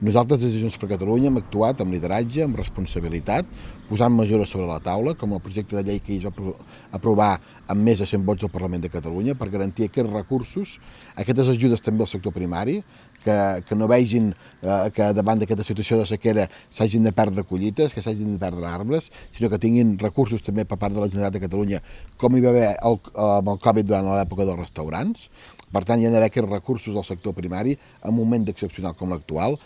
Nosaltres des de Junts per Catalunya hem actuat amb lideratge, amb responsabilitat, posant mesures sobre la taula, com el projecte de llei que es va aprovar amb més de 100 vots del Parlament de Catalunya per garantir aquests recursos, aquestes ajudes també al sector primari, que no vegin que davant d'aquesta situació de sequera s'hagin de perdre collites, que s'hagin de perdre arbres, sinó que tinguin recursos també per part de la Generalitat de Catalunya, com hi va haver amb el Covid durant l'època dels restaurants. Per tant, hi ha d'haver aquests recursos al sector primari en un moment excepcional com l'actual.